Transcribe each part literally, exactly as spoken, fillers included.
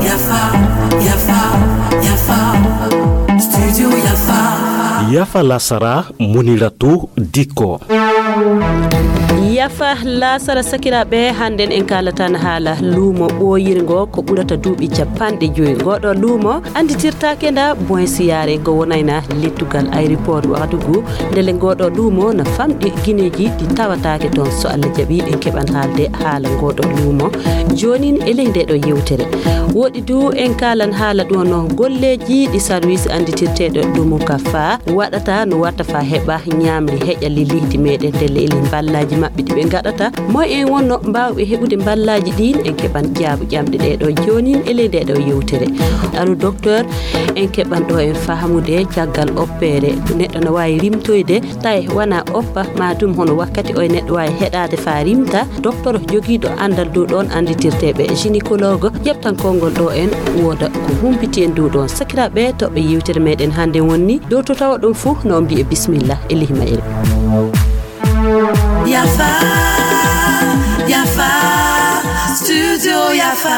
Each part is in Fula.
Yafa, yafa, yafa. Studio yafa. Yafa lasara, Muniratu Dikko. Yafa lasara sakiraaɓe, hannden en kaalatan haala luumo ɓooyirngo ko ɓurata duuɓi capanɗe joyi. Ngooɗo luumo annditirtaake nda boin siyaare ngo wonayna lettugal aéroport Ouagadougou. Ndele ngooɗo luumo na famɗi gineeji ɗi tawataake toon. So Allah jaɓi, en keɓan haalde haala ngooɗo luumo joonin e ley ndeeɗo yewtere. Woɗi du en kaalan haala ɗo no golleeji ɗi sarwis annditirteeɗo ɗumu ka faa waɗata no watta faa heɓa ñaamri heƴa li leydi meɗen ndelle e ley mballaaji maɓɓe ɗi ɓe ngaɗata. Moy en wonno mbaawɓe heɓude mballaaji ɗin? En keɓan jaabu ƴamɗe ɗeeɗo joonin e ley ndeeɗo yewtere. Alu docteur, en keɓan ɗo en fahamude caggal oppeere neɗɗo no waawi rimtoyde tawi wona oppa ma dum hono wakkati oye neɗɗo waawi heɗaade faa rimta. Docteur jogiiɗo anndal dow ɗoon annditirteeɓe gynécologue ƴeftan konngol ɗo en wooda ko humpiti en dow ɗoon. Sakiraaɓe toɓɓe yewtere meɗen hannde wonni dow to tawa ɗum fuu no mbiye bismillah e lihi mayre. Yafa, yafa, studio yafa.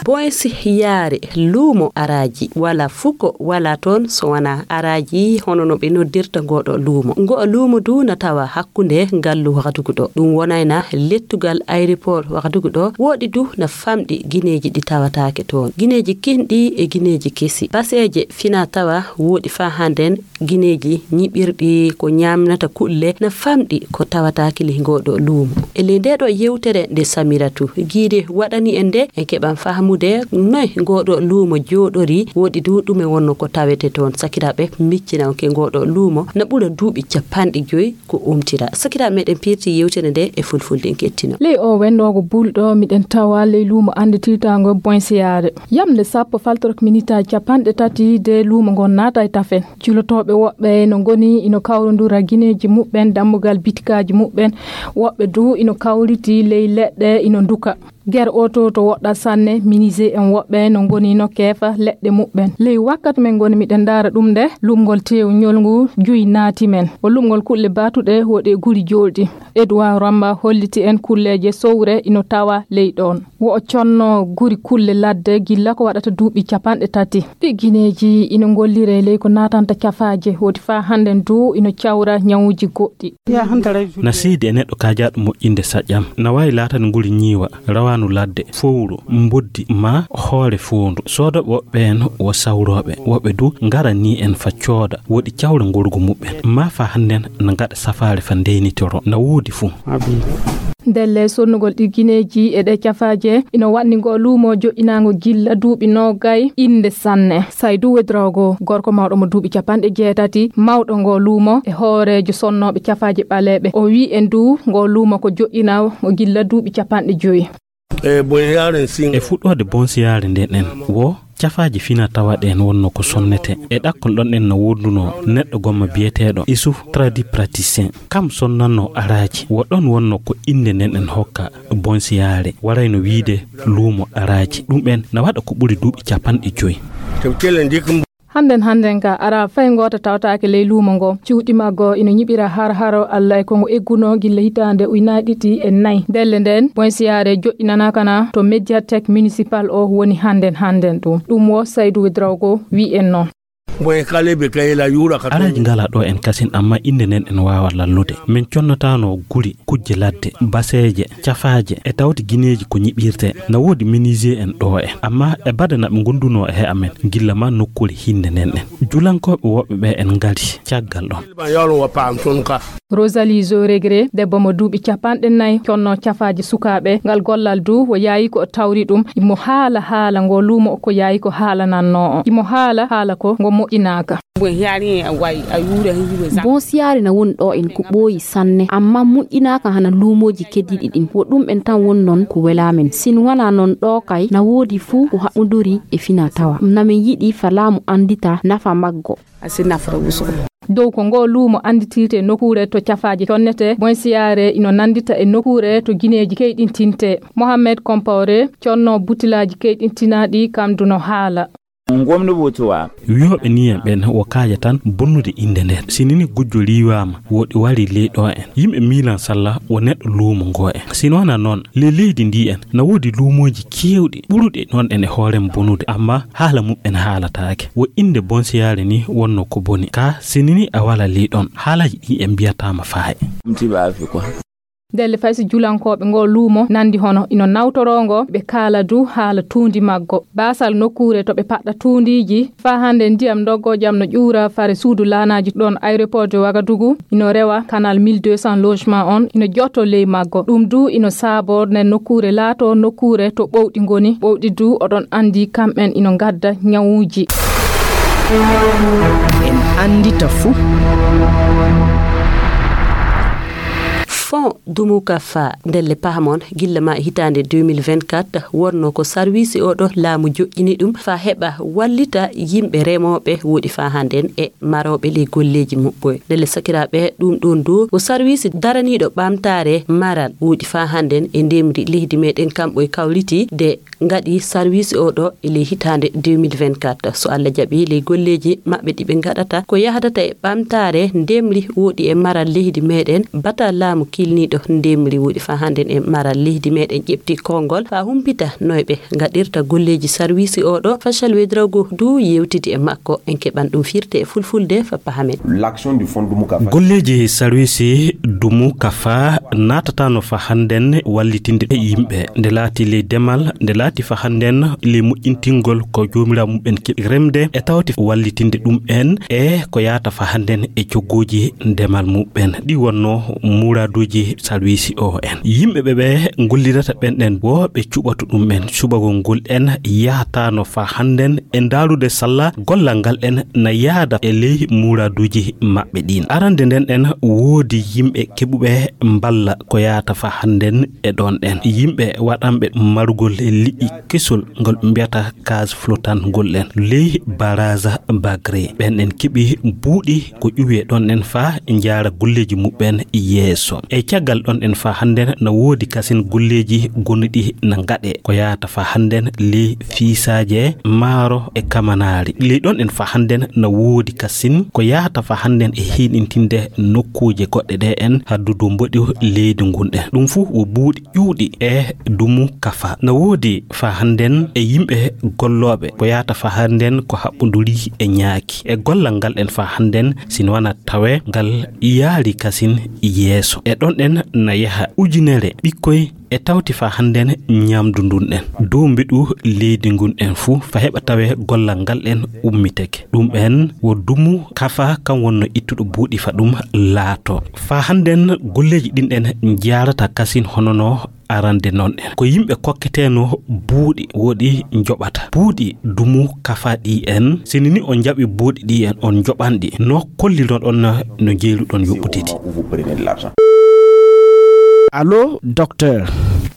Boinsi yaare luumo araaji wala fuko wala toon so wona araaji hono no ɓe noddirta ngoɗo luumo. Ngoɗo luumo du na tawa hakkunde ngallu Wagadugu ɗo. Ɗum wonayna lettugal aéroport Wagadugu ɗo. Woɗi du na famɗi gineeji ɗi tawataake toon. Gineeji kinɗi e gineeji kesi. Baseeje fina tawa woɗi faa hannden gineeji ñiɓirɗi ko ñaamnata kulle na famɗi ko tawataake ley ngoɗo luumo. E ley ndeɗo yewtere nde Samiratu Giide waɗani en nde, en keɓan fahamude noy ngoɗo luumo jooɗori, woɗi du ɗume wonno ko tawete toon. Sakiraaɓe, miccina on ke ngoɗo luumo na ɓura duuɓi capanɗe joyi ko umtira. Sakiraaɓe meɗen pirti yewtere nde e fulfulde en kettino. Ley o wennoogo bulɗo miɗen tawa ley luumo annditirtaango Boinsiyaare. Yamnde sappo faltorok minitaaji capanɗe tati de luumo ngon naata e tafen. Julotooɓe woɓɓe no ngoni ino kawrondura gineeji muɓɓen dammugal bitikaaji muɓɓen. Woɓɓe du ino kawriti ley leɗɗe ino nduka. Ger oto to woɗɗa sanne, minise en woɓɓe no ngoni no keefa leɗɗe muɓɓen. Ley wakkati men ngoni miɗen ndaara ɗum nde, luɓngol teew ñolngu juy naati men. O luɓngol kulle baatuɗe woɗe guri joolɗi. Edouard Ramba holliti en kulleeje sowre ino tawa ley ɗoon. Wo o conno guri kulle ladde gilla ko waɗata duuɓi capanɗe tati. Ɗi gineeji ino ngollire ley ko naatanta cafaaje, woodi faa hannden du ino cawra ñawuuji goɗɗi. Na seedi e neɗɗo kaajaaɗo moƴƴinde saƴƴam. Na waawi laatani nguli ñiiwa, rawaanu ladde, fowru, mboddi, maa hoore foondu. Soodooɓe woɓɓe en wo sawrooɓe, woɓɓe du ngara ni en fa cooda, woɗi cawra ngorgu muɓɓen. Maa fa hannden na ngaɗa safaare fa ndeynitoro, na woodi fuu. Ndelle sonnugol ɗi gineeji e ɗe cafaaje ino waɗni ngo luumo joƴƴinaango gilla duuɓi noogay innde sanne. Saydu Wedrogo, gorko mawɗo mo duuɓi capanɗe jeetati, mawɗo ngo luumo e hooreejo sonnooɓe cafaaje ɓaleeɓe. O wi'i en du ngo luumo ko joƴƴinaa o gilla duuɓi capanɗe joyi. E fuɗɗoode bonsiyaare nden en wo cafaaji fina tawa ɗen wonno ko sonnete. E ɗakkol ɗon en no wondunoo neɗɗo gomma biyeteeɗo Isuf Tradi Praticien. Kam sonnanno araaji. Wo ɗon wonno ko innde nden en hokka bonsiyaare. Warayno wiide luumo araaji. Ɗum en na waɗa ko ɓuri duuɓi capanɗe joyi. Hannden hannden ka ara fay ngoota tawtaake ley luumo ngo. Cuuɗi maggo ino ñiɓira har haro Alla e ko ngo eggunoo gilla hitaande ujunaaji ɗiɗi e nayi. Ndelle nden, bonsiyaare joƴƴinanaaka na to médiathèque municipal o woni hannden hannden ɗum. Ɗum wo Saydu Wedrogo wi'i en noon. Araaji ngala ɗo en kasin, amma innde nden en waawa lallude. Min connataano guri, kujje ladde, baseeje, cafaaje, e tawti gineeji ko ñiɓirte. Na woodi menuisier en ɗo en, amma e bade na ɓe ngondunoo e he amen, gilla ma nokkuure hinnde nden en. Julankooɓe woɓɓe ɓe en ngari caggal ɗon. Rosalie Zoregre, debbo mo duuɓi capanɗe nayi, conno cafaaji sukaaɓe. Ngal gollal du, o yaayi ko o tawri ɗum. Imo haala haala ngo luumo ko yaayi ko haalanannoo o. Imo haala haala ko ngo moƴƴinaaka. Bon, siyaare na woni ɗo en ko ɓooyi sanne, amma moƴƴinaaka hana luumooji keddiiɗi ɗin. Wo ɗum en tan woni non ko welaa men. Sin wanaa non ɗo kay na woodi fuu ko haɓɓodori e fina tawa. Na min yiɗi fa laamu anndita nafa maggo. Dow ko ngo luumo annditirte nokkuure to cafaaji connete, bonsiyaare ino nanndita e nokkuure to gineeji keyɗintinte. Mohammed Compaoré, conno butilaaji keyɗintinaaɗi, kam du no haala. Ngomno botuwa. Wiyooɓe niyan ɓen wo kaaja tan bonnude innde nden. Si nini gujjo riiwaama, wo ɗi wari ley ɗo en. Yimɓe miilan salla wo neɗɗo luumo ngo en. Si no wona noon, ley leydi ndi en, na woodi luumooji keewɗi ɓuruɗi noon en e hoore mum bonude, amma haala mum en haalataake. Wo innde bonsiyaare ni wonno ko boni. Ka si nini a wala ley ɗon, haalaaji ɗi en mbiyataama faa'e. Mtiba afi kwa. Ndelle fay si julankooɓe ngoo luumo nandi hono ino nawtoroo ngo, ɓe kaala du haala tuundi maggo. Baasal nokkuure to ɓe paɗɗa tuundiiji, faa hannde ndiyam ndoggoo jam no ƴuura fare suudu laanaaji ɗoon aéroport de Ouagadougou, ino rewa canal mille deux cents logement on, ino jotto ley maggo. Ɗum du ino saaboo nden nokkuure laatoo nokkuure to ɓowɗi ngoni. Ɓowɗi du oɗon anndi kamɓen ino ngadda ñawuuji. En anndita fuu. Fonds Dumukafa, ndelle pahamon, gilla ma e hitaande deux mille vingt-quatre, wonno ko sarwiisi oo ɗo laamu joƴƴini ɗum faa heɓa wallita yimɓe remooɓe woɗi faa hannden e marooɓe ley golleeji muɓɓoy. Ndelle sakiraaɓe, ɗum ɗoon du ko sarwiisi daraniiɗo ɓamtaare maral woɗi faa hannden e ndemri leydi meɗen kamɓoy kawriti de ngaɗi sarwiisi oo ɗo e ley hitaande deux mille vingt-quatre. So Alla jaɓi, ley golleeji maɓɓe ɗi ɓe ngaɗata ko yahdata e ɓamtaare ndemri woɗi e maral leydi meɗen, bata laamu kilniiɗo ndemri woɗi faa hannden e maral leydi meɗen ƴeɓti konngol faa humpita noy ɓe ngaɗirta golleeji sarwiisi oo ɗo. Fachel Ouedraogo du yewtidi e makko. En keɓan ɗum firti e fulfulde faa pahamen. L'action du fonds Dumukafa. Golleeji sarwiisi Dumukafa naatataano faa hannden wallitinde e yimɓe. Nde laati ley demal, nde laati faa hannden ley moƴƴintingol ko joomiraaɓe muɓɓen keɓi remde, e tawti wallitinde ɗum en e ko yaata faa hannden e coggooji demal muɓɓen. Ɗi wonno muraaduuji sarwiisi oo en. Yimɓe ɓe ɓe ngollirata ɓen ɗen wo ɓe cuɓatu ɗum en. Cuɓagol ngol en yahataano faa hannden e ndaarude salla gollal ngal en na yaada e ley muraaduuji maɓɓe ɗin. Arande nden en woodi yimɓe keɓuɓe mballa ko yaata faa hannden e ɗon en. Yimɓe waɗanɓe marugol liƴƴi kesol ngol mbiyata gaz flottant ngol en ley baraza Bagre. Ɓen en keɓi buuɗi ko ƴuwi e ɗon en faa njaara golleeji muɓɓen yeeso. E caggal ɗon en faa hannden na woodi kasin golleeji gonɗi na ngaɗe ko yaata faa hannden ley fiisaaje maaro e kamanaari. Ley ɗon en faa hannden na woodi kasin ko yaata faa hannden e hiiɗintinde nokkuuje goɗɗe ɗe en haddudu mboɗi leydi ngun ɗen. Ɗum fuu wo buuɗi ƴuwɗi e Dumukafa. Na woodi faa hannden e yimɓe gollooɓe ko yaata faa hannden ko haɓɓunduri e ñaaki. E gollal ngal en faa hannden, si no wona tawe ngal yaari kasin yeeso. E ɗon en na yaha ujunere ɓikkoy e tawti faa hannden ñamdu ndun en. Dow mbeɗu leydi ngun en fuu faa heɓa tawe gollal ngal en ummitake. Ɗum en wo Dumukafa kan wonno ittuɗo buuɗi faa ɗum laato. Faa hannden golleeji ɗin en njaarata kasin hono no arande non en. Ko yimɓe kokketeeno buuɗi woɗi njoɓata. Buuɗi Dumukafa ɗi en, si ni on njaɓi buuɗi ɗi en, on njoɓan ɗi. No kollinoɗon no njeeruɗon yoɓɓude ɗi. Allô, docteur.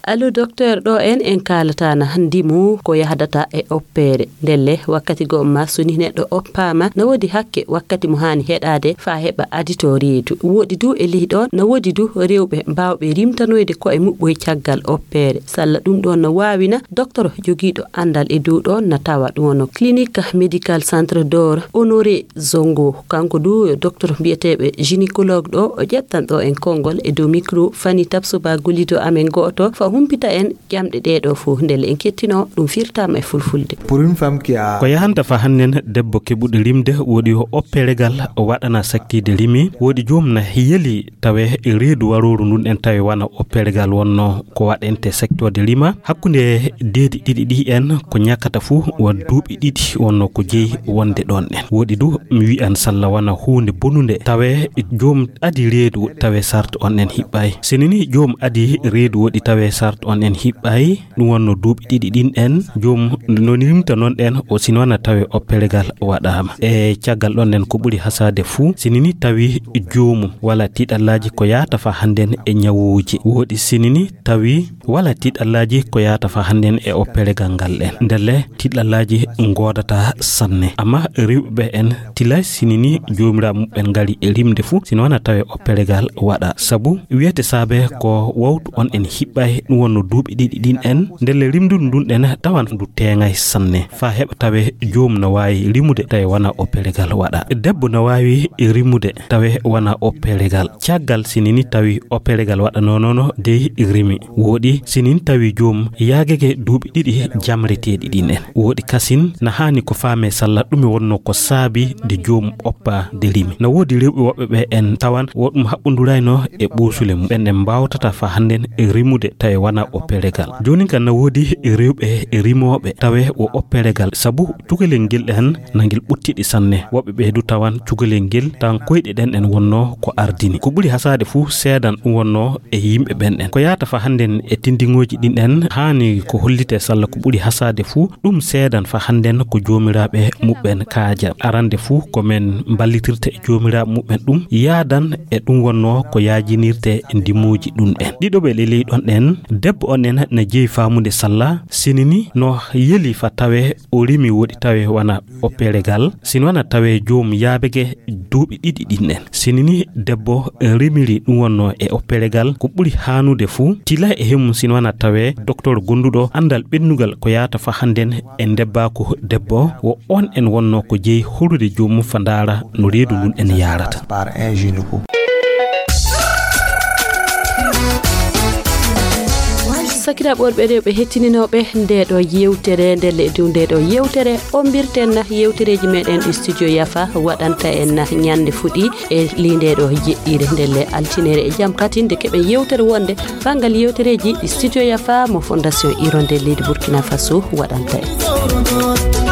Allô, docteur, ɗo en, en kaalata na ndimu ko yahdata e oppeere. Ndelle, wakkati goo ma so ni neɗɗo oppaama, na woodi hakke wakkati mo haani heɗaade faa heɓa adito reedu. Woodi du e ley ɗon, na woodi du rewɓe baawɓe rimtanoyde ko'e muɓɓoy caggal oppeere. Salla ɗum ɗon na waawina, docteur jogiiɗo anndal e dow ɗon na tawa ɗum wonno Clinique Médical Centre d'Or Honoré Zongo. Kanko du docteur mbiyeteeɓe gynécologue ɗo, o ƴettan ɗo en konngol e dow micro Fani Tapsoba gollido amen gooto, faa humpita en ƴamɗe ɗee ɗoo fof, ndelle en kettino ɗum firtaama e fulfulde. Pour une femme qui a Ko yahanta faa hannden debbo keɓuɗo rimde, woodi yo opperegal waɗana sakkiide rimi, woodi joom na yeli tawe reedu warooru ndun en tawi wona opperegal wonno ko waɗente sektoode rima. Hakkunde deedi ɗiɗi ɗi en ko ñakkata fuu wa duuɓi ɗiɗi wonno ko jeyi wonde ɗon en. Woodi du mi wi'an salla wona huunde bonunde tawe joom adi reedu tawe sart on en hiɓɓay. Si nini joom adi reedu woodi tawe sart on en hiɓɓay, ɗum wonno duuɓi ɗiɗi ɗin en, joom no rimta non ɗen o sino wona tawe opperegal waɗaama. E caggal ɗon en ko ɓuri hasaade fuu, si nini tawi joomum wala tiiɗallaaji ko yaata faa hannden e ñawuuji. Woodi si nini tawi wala tiiɗallaaji ko yaata faa hannden e opperegal ngal ɗen. Ndelle tiiɗallaaji ngoodata sanne. Amma rewɓe ɓe en tilay si nini joomiraaɓe muɓɓen ngari e rimde fuu, sino wona tawe opperegal waɗa. Sabu wiyete saabe ko wawtu on en hiɓɓay ɗum wonno duuɓi ɗiɗi ɗin en, ndelle rimdudu ndun ɗen tawan ndu teeŋay sanne, faa heɓa tawe joom no waawi rimude tawe wona opperegal waɗa. Debbo no waawi rimude tawe wona opperegal. Caggal si ni tawi opperegal waɗanoo noon dey rimi. Wooɗi si ni tawi joom yaagake duuɓi ɗiɗi jamreteeɗi ɗin en. Wooɗi kasin na haani ko faamee salla ɗume wonno ko saabi de joom oppa de rimi. Na woodi rewɓe woɓɓe ɓe en tawan wo ɗum haɓɓundurayno e ɓuusule mum. Ɓen en mbaawtata fa hannden e rimude tawe wona opperegal. Joonin kan na woodi rewɓe rimooɓe tawe wo opperegal. Sabu cukalel ngel ɗen na ngel ɓuttiɗi sanne. Woɓɓe ɓe du tawan cukalel ngel tan koyɗe ɗen en wonno ko ardini. Ko ɓuri hasaade fuu seedan ɗum wonno e yimɓe ɓen ɗen. Ko yaata fa hannden e tindiŋooji ɗin ɗen haani ko hollitee salla ko ɓuri hasaade fuu ɗum seedan fa hannden ko joomiraaɓe muɓɓen kaaja. Arande fuu ko men mballitirta e joomiraaɓe muɓɓen ɗum yaadan e ɗum wonno ko yaajinirte e ndimuuji ɗum ɗen. Ɗiɗo ɓe leley ɗon ɗen, debbo on en na jeyi faamude salla, sinini no yeli fa tawe o rimi woɗi tawe wana opperegal, sini wana tawe joom yaabege duuɓi ɗiɗi ɗin en. Sinini debbo rimiri ɗum wonno e opperegal, ko ɓuri haanude fuu, tila e hemum sini wana tawe doktor gonduɗo anndal ɓennugal ko yaata fa hannden e ndebbaaku debbo, wo on en wonno ko jeyi horude joomum fa ndaara no reedu ndun en yaarata. Sakiraaɓe worɓe e rewɓe hettininooɓe nde ɗo yewtere, nde le-, nde ɗo yewtere, ombirten na yewtereeji meɗen ɗi Studio Yafa waɗanta en na ñande fuɗi e ley nde ɗo jeɗɗire nde le altinere e jam katin nde keɓen yewtere wonde banngal yewtereeji ɗi Studio Yafa mo Fondation Hirondelle leydi Burkina Faso waɗanta en.